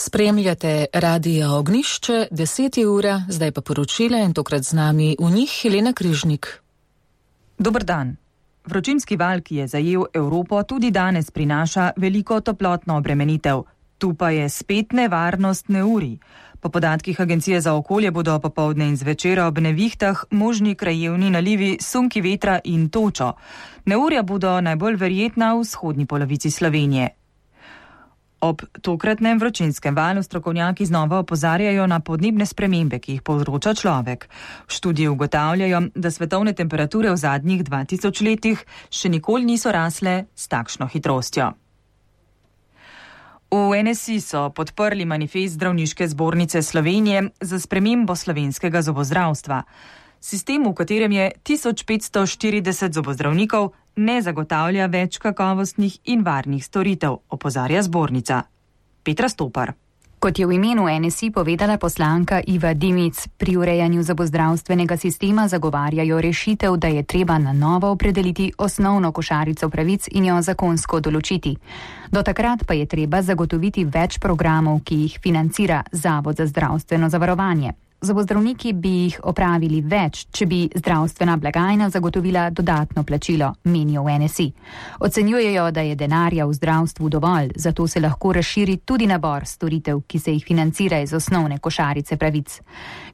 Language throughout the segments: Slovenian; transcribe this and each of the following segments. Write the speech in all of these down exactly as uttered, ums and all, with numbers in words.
Spremljate Radio Ognjišče, deset je ura, zdaj pa poročila in tokrat z nami v njih Helena Križnik. Dober dan. Vročinski val, ki je zajel Evropo, tudi danes prinaša veliko toplotno obremenitev. Tu pa je spet nevarnost neurij. Po podatkih Agencije za okolje bodo popoldne in zvečer ob nevihtah možni krajevni nalivi, sunki vetra in točo. Neurja bodo najbolj verjetna v vzhodni polovici Slovenije. Ob tokratnem vročinskem valu strokovnjaki znova opozarjajo na podnebne spremembe, ki jih povzroča človek. V študiji ugotavljajo, da svetovne temperature v zadnjih dva tisoč letih še nikoli niso rasle s takšno hitrostjo. V N S I so podprli manifest Zdravniške zbornice Slovenije za spremembo slovenskega zobozdravstva. Sistem, v katerem je tisoč petsto štirideset zobozdravnikov, ne zagotavlja več kakovostnih in varnih storitev, opozarja zbornica. Petra Stopar. Kot je v imenu N S I povedala poslanka Iva Dimic, pri urejanju zobozdravstvenega sistema zagovarjajo rešitev, da je treba na novo opredeliti osnovno košarico pravic in jo zakonsko določiti. Do takrat pa je treba zagotoviti več programov, ki jih financira Zavod za zdravstveno zavarovanje. Zobozdravniki bi jih opravili več, če bi zdravstvena blagajna zagotovila dodatno plačilo, menijo v N S I. Ocenjujejo, da je denarja v zdravstvu dovolj, zato se lahko razširi tudi nabor storitev, ki se jih financira iz osnovne košarice pravic.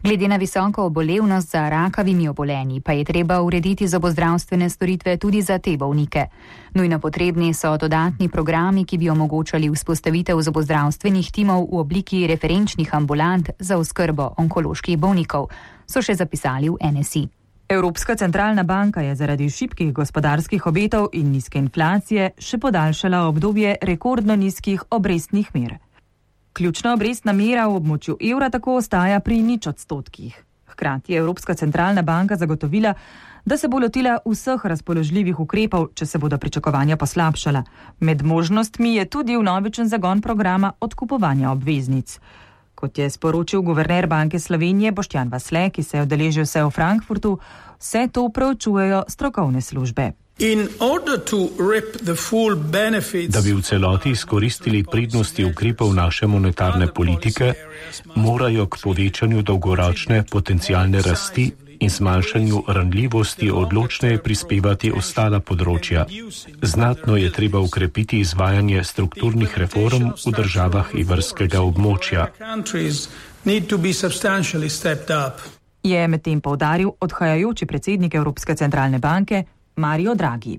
Glede na visoko obolevnost za rakavimi obolenji pa je treba urediti zobozdravstvene storitve tudi za te bolnike. Nujno potrebni so dodatni programi, ki bi omogočali vzpostavitev zobozdravstvenih timov v obliki referenčnih ambulant za oskrbo onkoloških bolnikov, so še zapisali v N S I. Evropska centralna banka je zaradi šibkih gospodarskih obetov in nizke inflacije še podaljšala obdobje rekordno nizkih obrestnih mer. Ključna obrestna mera v območju evra tako ostaja pri nič odstotkih. Hkrati je Evropska centralna banka zagotovila, da se bo lotila vseh razpoložljivih ukrepov, če se bodo pričakovanja poslabšala. Med možnostmi je tudi vnovičen zagon programa odkupovanja obveznic. Kot je sporočil guverner Banke Slovenije Boštjan Vasle, ki se je udeležil se v Frankfurtu, vse to preučujejo strokovne službe. Da bi v celoti izkoristili prednosti ukrepov naše monetarne politike, morajo k povečanju dolgoročne potencialne rasti in zmanjšanju ranljivosti odločneje prispevati ostala področja. Znatno je treba ukrepiti izvajanje strukturnih reform v državah evrskega območja. Je medtem poudaril odhajajoči predsednik Evropske centralne banke Mario Draghi.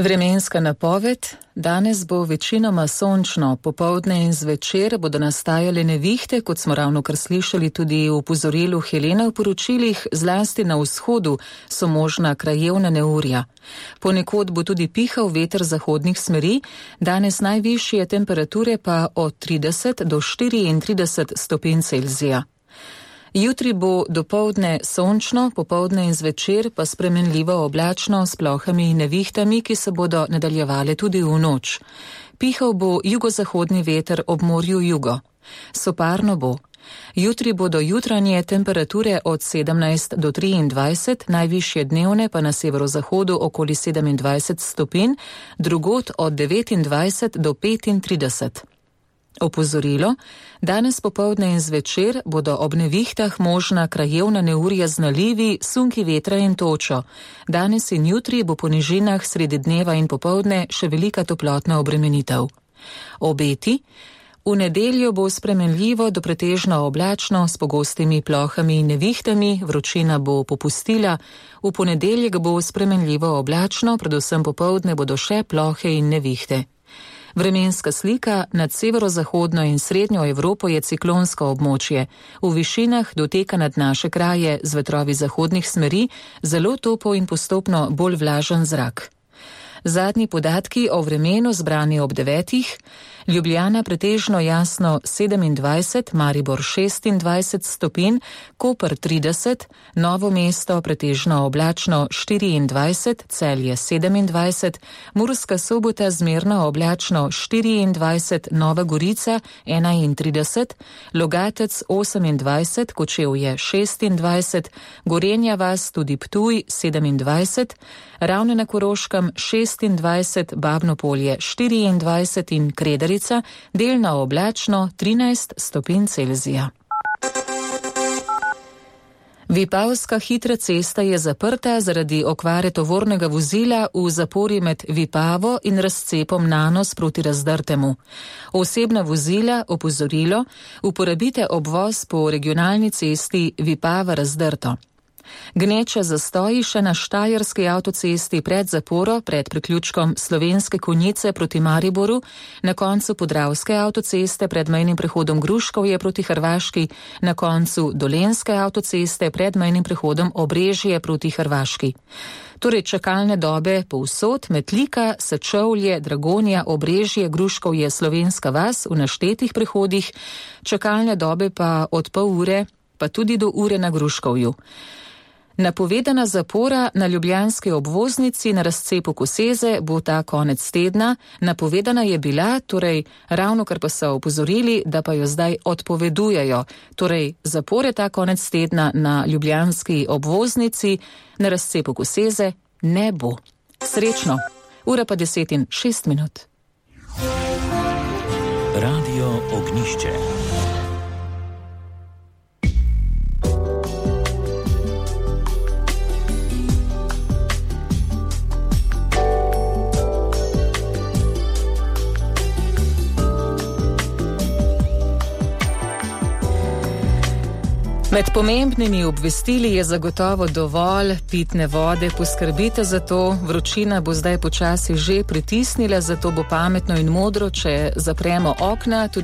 Vremenska napoved. Danes bo večinoma sončno, popoldne in zvečer bodo nastajale nevihte, kot smo ravno kar slišali tudi v opozorilu Helena v poročilih, zlasti na vzhodu so možna krajevna neurja. Ponekod bo tudi pihal veter zahodnih smeri, danes najvišje temperature pa od trideset do štiriintrideset stopinj Celzija. Jutri bo dopoldne sončno, popoldne in zvečer pa spremenljivo oblačno s plohami in nevihtami, ki se bodo nadaljevale tudi v noč. Pihal bo jugozahodni veter ob morju jugo. Soparno bo. Jutri bodo jutranje temperature od sedemnajst do triindvajset, najvišje dnevne pa na severozahodu okoli sedemindvajset stopinj, drugod od devetindvajset do petintrideset. Opozorilo, danes popoldne in zvečer bodo ob nevihtah možna krajevna neurja z nalivi, sunki vetra in točo. Danes in jutri bo po nižinah sredi dneva in popoldne še velika toplotna obremenitev. Obeti. V nedeljo bo spremenljivo do pretežno oblačno s pogostimi plohami in nevihtami, vročina bo popustila. V ponedeljek bo spremenljivo oblačno, predvsem popoldne bodo še plohe in nevihte. Vremenska slika nad severozahodno in srednjo Evropo je ciklonsko območje. V višinah doteka nad naše kraje z vetrovi zahodnih smeri zelo topo in postopno bolj vlažen zrak. Zadnji podatki o vremenu zbrani ob devetih. Ljubljana pretežno jasno sedemindvajset, Maribor šestindvajset stopinj, Koper trideset, Novo mesto pretežno oblačno štiriindvajset, Celje sedemindvajset, Murska Sobota zmerno oblačno štiriindvajset, Nova Gorica enaintrideset, Logatec osemindvajset, Kočevje šestindvajset, Gorenja vas tudi Ptuj sedemindvajset, Ravne na Koroškem šestindvajset, Babno Polje štiriindvajset in Kredarica delno oblačno trinajst stopinj Celzija. Vipavska hitra cesta je zaprta zaradi okvare tovornega vozila v zapori med Vipavo in razcepom Nanos proti Razdrtemu. Osebna vozila, opozorilo, uporabite obvoz po regionalni cesti Vipava-Razdrto. Gneča zastoji še na štajerski avtocesti pred zaporo, pred priključkom Slovenske Konjice proti Mariboru, na koncu Podravske avtoceste pred mejnim prehodom Gruškovje proti Hrvaški, na koncu Dolenjske avtoceste pred mejnim prehodom Obrežje proti Hrvaški. Torej čakalne dobe povsod, Metlika, Sečovlje, Dragonja, Obrežje, Gruškovje, Slovenska vas v naštetih prehodih, čakalne dobe pa od pol ure, pa tudi do ure na Gruškovju. Napovedana zapora na ljubljanski obvoznici na razcepu Koseze bo ta konec tedna. Napovedana je bila, torej ravno kar pa so opozorili, da pa jo zdaj odpovedujejo. Torej zapore ta konec tedna na ljubljanski obvoznici na razcepu Koseze ne bo. Srečno. Ura pa deset in šest minut. Radio Ognišče. Med pomembnimi obvestili je zagotovo dovolj pitne vode, poskrbite za to, vročina bo zdaj počasi že pritisnila, zato bo pametno in modro, če zapremo okna. Tudi